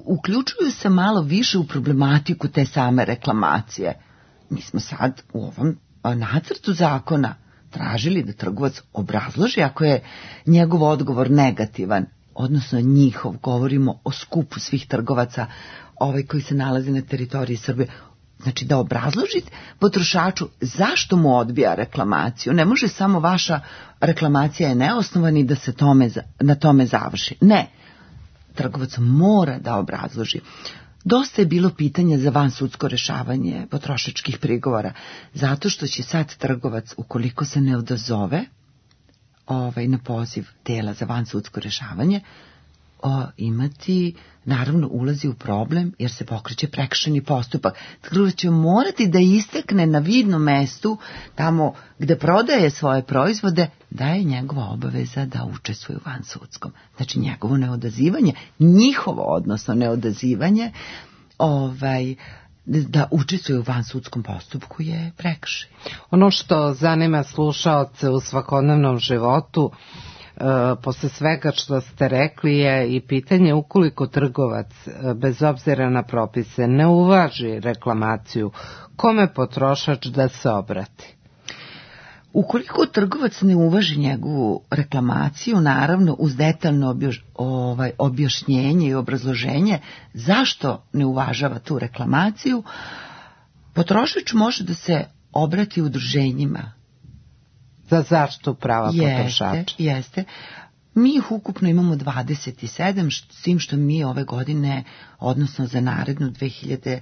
Uključuju se malo više u problematiku te same reklamacije. Mi smo sad u ovom nacrtu zakona tražili da trgovac obrazloži ako je njegov odgovor negativan, odnosno njihov, govorimo o skupu svih trgovaca koji se nalaze na teritoriji Srbije, znači da obrazloži potrošaču zašto mu odbija reklamaciju. Ne može samo vaša reklamacija je neosnovana i da se na tome završi. Ne, trgovac mora da obrazloži. Dosta je bilo pitanja za vansudsko rešavanje potrošačkih prigovora, zato što će sad trgovac, ukoliko se ne odazove na poziv tela za vansudsko rešavanje imati, naravno ulazi u problem jer se pokreće prekršajni postupak. Tako će morati da istakne na vidnom mestu, tamo gde prodaje svoje proizvode, da je njegova obaveza da učestvuje u vansudskom. Znači njegovo neodazivanje, njihovo odnosno neodazivanje, da učestvuje u vansudskom postupku je prekršaj. Ono što zanima slušaoce u svakodnevnom životu, posle svega što ste rekli, je i pitanje ukoliko trgovac, bez obzira na propise, ne uvaži reklamaciju, kome potrošač da se obrati? Ukoliko trgovac ne uvaži njegovu reklamaciju, naravno uz detaljno objašnjenje i obrazloženje zašto ne uvažava tu reklamaciju, potrošač može da se obrati udruženjima za zaštitu prava potrošača. Jeste. Mi ih ukupno imamo 27, s tim što mi ove godine, odnosno za narednu 2020.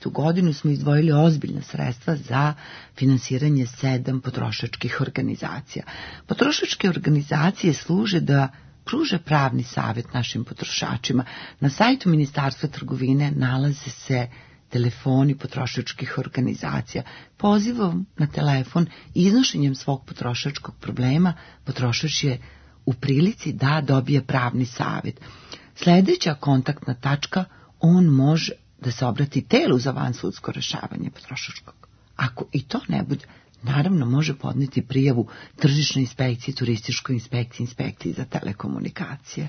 godinu, smo izdvojili ozbiljna sredstva za finansiranje 7 potrošačkih organizacija. Potrošačke organizacije služe da pruže pravni savjet našim potrošačima. Na sajtu Ministarstva trgovine nalaze se telefoni potrošačkih organizacija. Pozivom na telefon i iznošenjem svog potrošačkog problema, potrošač je u prilici da dobije pravni savjet. Sljedeća kontaktna tačka, on može da se obrati telu za vansudsko rešavanje potrošačkog. Ako i to ne bude, naravno može podneti prijavu tržišnoj inspekciji, turističkoj inspekciji, inspekciji za telekomunikacije.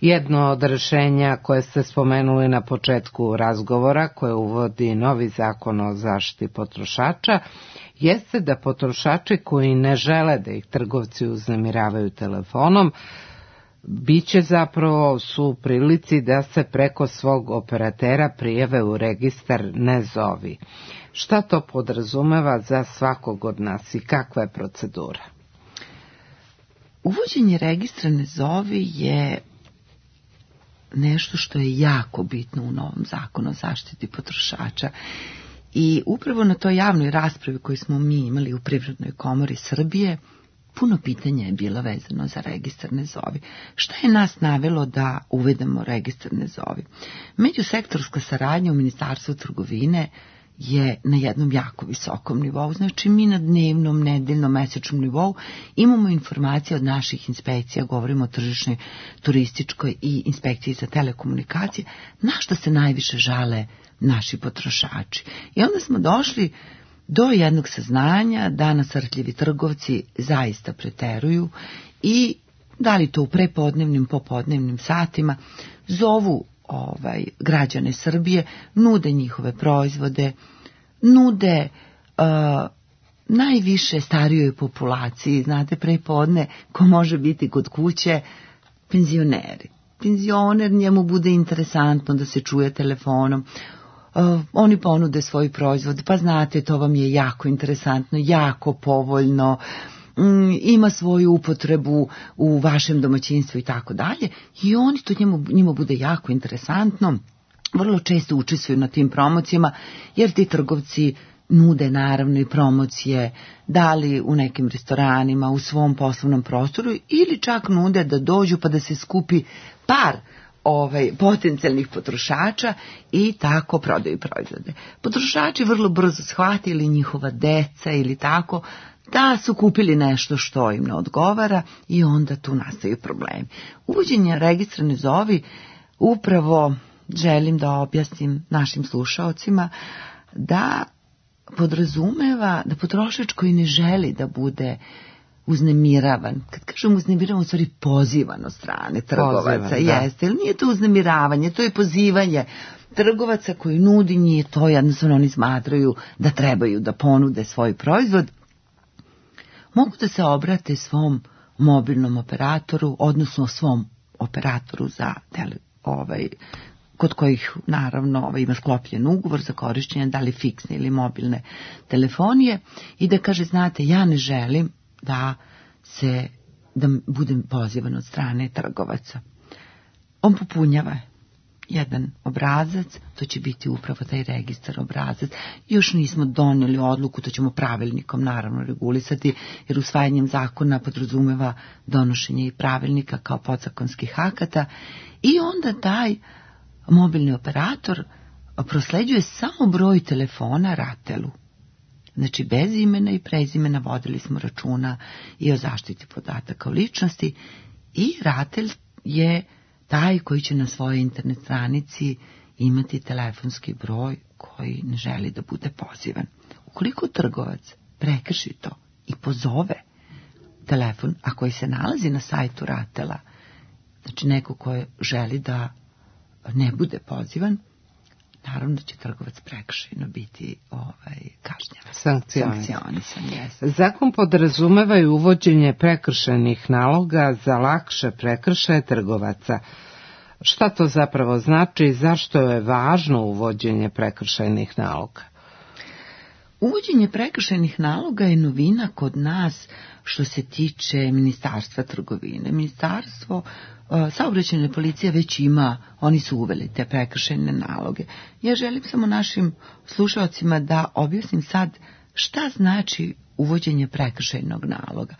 Jedno od rešenja koje ste spomenuli na početku razgovora, koje uvodi novi zakon o zaštiti potrošača, jeste da potrošači koji ne žele da ih trgovci uznemiravaju telefonom, biće zapravo su u prilici da se preko svog operatera prijave u registar Ne zovi. Šta to podrazumeva za svakog od nas i kakva je procedura? Uvođenje registra Ne zovi je nešto što je jako bitno u novom zakonu o zaštiti potrošača. I upravo na toj javnoj raspravi koju smo mi imali u Privrednoj komori Srbije, puno pitanja je bilo vezano za registar Ne zovi. Šta je nas navelo da uvedemo registar Ne zovi? Međusektorska saradnja u Ministarstvu trgovine je na jednom jako visokom nivou. Znači mi na dnevnom, nedeljnom, mesečnom nivou imamo informacije od naših inspekcija, govorimo o tržišnoj, turističkoj i inspekciji za telekomunikacije, na što se najviše žale naši potrošači. I onda smo došli do jednog saznanja da nasrtljivi trgovci zaista preteruju i da li to u prepodnevnim, popodnevnim satima zovu građane Srbije, nude njihove proizvode, nude najviše starijoj populaciji, znate, prepodne ko može biti kod kuće, penzioneri. Penzioner, njemu bude interesantno da se čuje telefonom, oni ponude svoj proizvod, pa znate, to vam je jako interesantno, jako povoljno, ima svoju upotrebu u vašem domaćinstvu i tako dalje, i oni to njima bude jako interesantno, vrlo često učestvuju na tim promocijama, jer ti trgovci nude naravno i promocije, da li u nekim restoranima, u svom poslovnom prostoru, ili čak nude da dođu pa da se skupi par potencijalnih potrošača i tako prodaju proizvode. Potrošači vrlo brzo shvatili, njihova deca ili tako, da su kupili nešto što im ne odgovara i onda tu nastaju problemi. Uvođenje registra Ne zovi, upravo želim da objasnim našim slušaocima da podrazumeva da potrošač koji ne želi da bude uznemiravan, kad kažem uznemiravan, u stvari pozivan od strane trgovaca, jeste, ili nije to uznemiravanje, to je pozivanje trgovaca koji nudi, nije to, jednostavno oni smatraju da trebaju da ponude svoj proizvod, mogu da se obrate svom mobilnom operatoru, odnosno svom operatoru za kod kojih naravno ima sklopljen ugovor za korišćenje da li fiksne ili mobilne telefonije, i da kaže, znate, ja ne želim da budem pozivan od strane trgovaca. On popunjava jedan obrazac, to će biti upravo taj registar obrazac. Još nismo donijeli odluku, to ćemo pravilnikom naravno regulisati, jer usvajanjem zakona podrazumeva donošenje i pravilnika kao podzakonskih akata i onda taj mobilni operator prosleđuje samo broj telefona RATEL-u. Znači, bez imena i prezimena vodili smo računa i o zaštiti podataka o ličnosti i RATEL je taj koji će na svojoj internet stranici imati telefonski broj koji ne želi da bude pozivan. Ukoliko trgovac prekrši to i pozove telefon, a koji se nalazi na sajtu RATEL-a, znači neko ko želi da ne bude pozivan, naravno da će trgovac prekršajno biti kažnjavan. Sankcionisan. Zakon podrazumeva i uvođenje prekršajnih naloga za lakše prekršaje trgovaca. Šta to zapravo znači i zašto je važno uvođenje prekršajnih naloga? Uvođenje prekršajnih naloga je novina kod nas što se tiče Ministarstva trgovine. Ministarstvo saobraćajne policije već ima, oni su uveli te prekršajne naloge. Ja želim samo našim slušalcima da objasnim sad šta znači uvođenje prekršajnog naloga.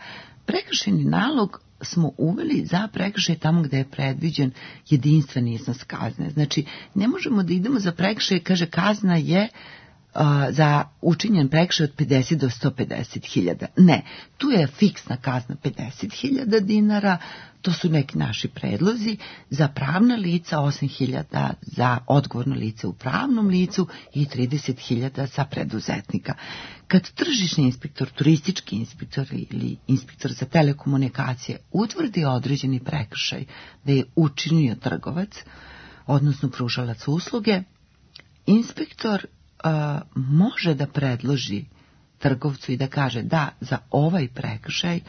Prekršajni nalog smo uveli za prekršaj tamo gde je predviđen jedinstven iznos kazne. Znači, ne možemo da idemo za prekršaj, kaže kazna je za učinjen prekršaj od 50 do 150.000. Ne, tu je fiksna kazna 50.000 dinara, to su neki naši predlozi, za pravna lica 8.000 za odgovorno lice u pravnom licu i 30.000 za preduzetnika. Kad tržišni inspektor, turistički inspektor ili inspektor za telekomunikacije utvrdi određeni prekršaj da je učinio trgovac, odnosno pružalac usluge, inspektor može da predloži trgovcu i da kaže da za ovaj prekršaj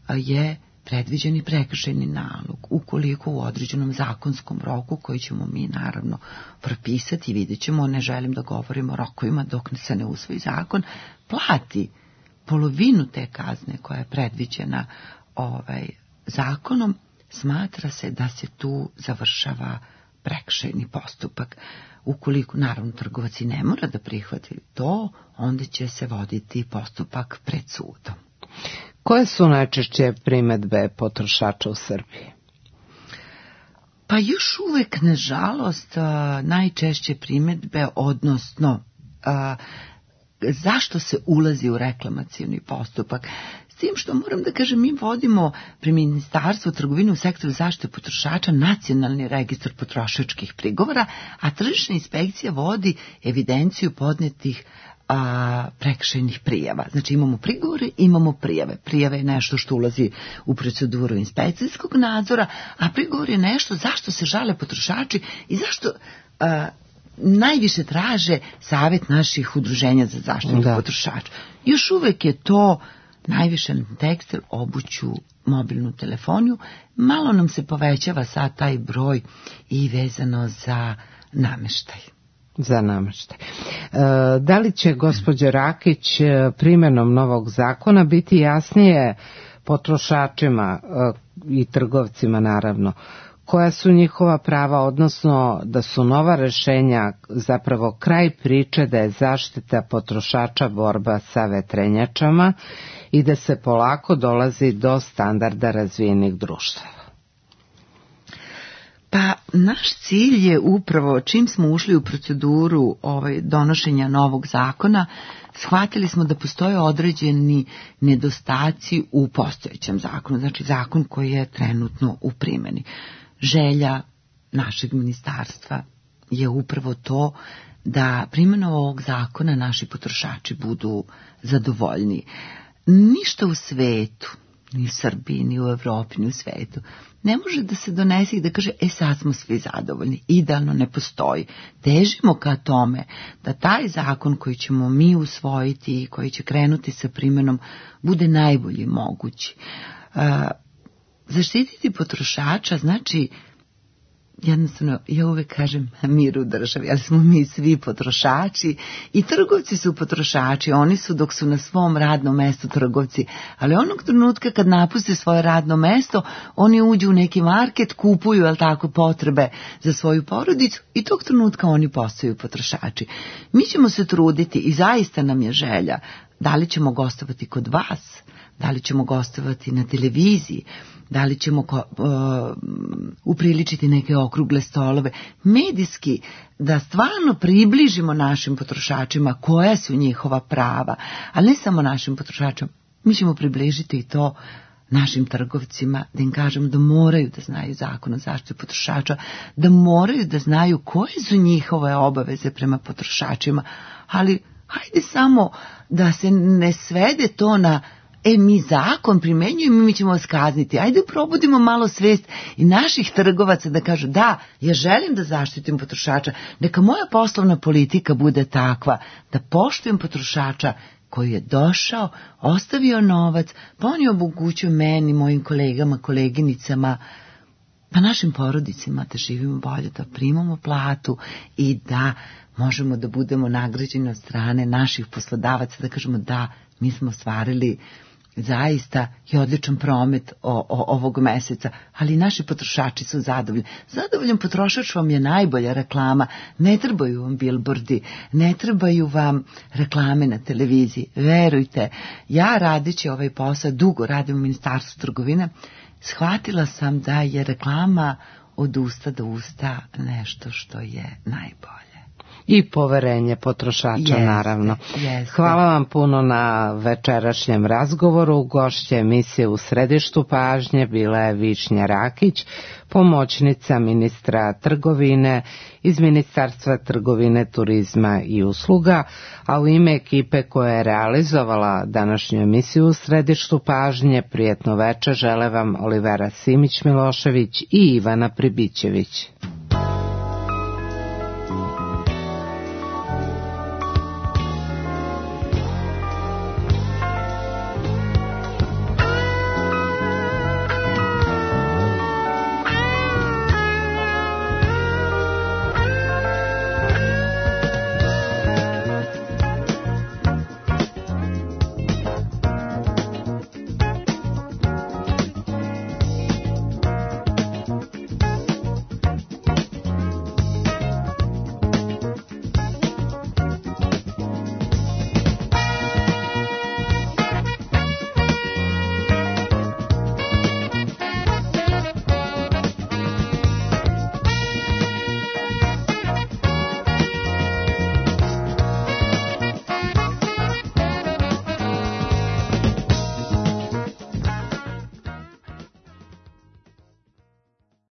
je predviđeni prekršajni nalog, ukoliko u određenom zakonskom roku, koji ćemo mi naravno propisati, vidjet ćemo, ne želim da govorimo o rokovima dok se ne usvoji zakon, plati polovinu te kazne koja je predviđena zakonom, smatra se da se tu završava prekršajni postupak. Ukoliko, naravno, trgovac i ne mora da prihvati to, onda će se voditi postupak pred sudom. Koje su najčešće primedbe potrošača u Srbiji? Pa još uvek, nažalost, najčešće primedbe, odnosno zašto se ulazi u reklamacioni postupak. S tim što moram da kažem, mi vodimo pri Ministarstvu trgovine u sektoru zaštite potrošača nacionalni registar potrošačkih prigovora, a tržišna inspekcija vodi evidenciju podnetih prekršajnih prijava. Znači imamo prigovore, imamo prijave. Prijave je nešto što ulazi u proceduru inspekcijskog nadzora, a prigovor je nešto zašto se žale potrošači i zašto najviše traže savjet naših udruženja za zaštitu potrošača. Još uvek je to najviše na tekstil, obuću, mobilnu telefoniju. Malo nam se povećava sad taj broj i vezano za nameštaj. Za nameštaj. Da li će gospođa Rakić primjenom novog zakona biti jasnije potrošačima i trgovcima naravno koja su njihova prava, odnosno da su nova rešenja zapravo kraj priče da je zaštita potrošača borba sa vetrenjačama i da se polako dolazi do standarda razvijenih društava? Pa naš cilj je upravo, čim smo ušli u proceduru donošenja novog zakona, shvatili smo da postoje određeni nedostaci u postojećem zakonu, znači zakon koji je trenutno u primjeni. Želja našeg ministarstva je upravo to da primjenom ovog zakona naši potrošači budu zadovoljni. Ništa u svetu, ni u Srbiji, ni u Evropi, ni u svetu, ne može da se donese i da kaže, sad smo svi zadovoljni. Idealno ne postoji. Težimo ka tome da taj zakon koji ćemo mi usvojiti i koji će krenuti sa primjenom bude najbolji mogući. Zaštititi potrošača znači jednostavno, ja uvek kažem mir u državi, ali smo mi svi potrošači i trgovci su potrošači, oni su dok su na svom radnom mestu trgovci, ali onog trenutka kad napuste svoje radno mesto, oni uđu u neki market, kupuju, jel tako, potrebe za svoju porodicu i tog trenutka oni postaju potrošači. Mi ćemo se truditi i zaista nam je želja, da li ćemo gostovati kod vas, da li ćemo gostovati na televiziji, da li ćemo upriličiti neke okrugle stolove, medijski, da stvarno približimo našim potrošačima koja su njihova prava, ali ne samo našim potrošačima, mi ćemo približiti i to našim trgovcima, da im kažemo da moraju da znaju zakon o zaštiti potrošača, da moraju da znaju koje su njihove obaveze prema potrošačima, ali hajde samo da se ne svede to na mi zakon primenjujemo i mi ćemo vas kazniti. Ajde probudimo malo svest i naših trgovaca da kažu da, ja želim da zaštitim potrošača, neka moja poslovna politika bude takva da poštujem potrošača koji je došao, ostavio novac, pa on je omogućio meni, mojim kolegama, koleginicama, pa našim porodicima da živimo bolje, da primamo platu i da možemo da budemo nagrađeni od strane naših poslodavaca, da kažemo da, mi smo ostvarili zaista i odličan promet ovog meseca, ali naši potrošači su zadovoljni. Zadovoljan potrošač vam je najbolja reklama, ne trebaju vam bilbordi, ne trebaju vam reklame na televiziji. Verujte, ja radeći ovaj posao, dugo radim u Ministarstvu trgovine, shvatila sam da je reklama od usta do usta nešto što je najbolje. I poverenje potrošača, naravno. Hvala vam puno na večerašnjem razgovoru. Gošća emisije U središtu pažnje bila je Višnja Rakić, pomoćnica ministra trgovine iz Ministarstva trgovine, turizma i usluga, a u ime ekipe koja je realizovala današnju emisiju U središtu pažnje, prijetno večer žele vam Olivera Simić-Milošević i Ivana Pribićević.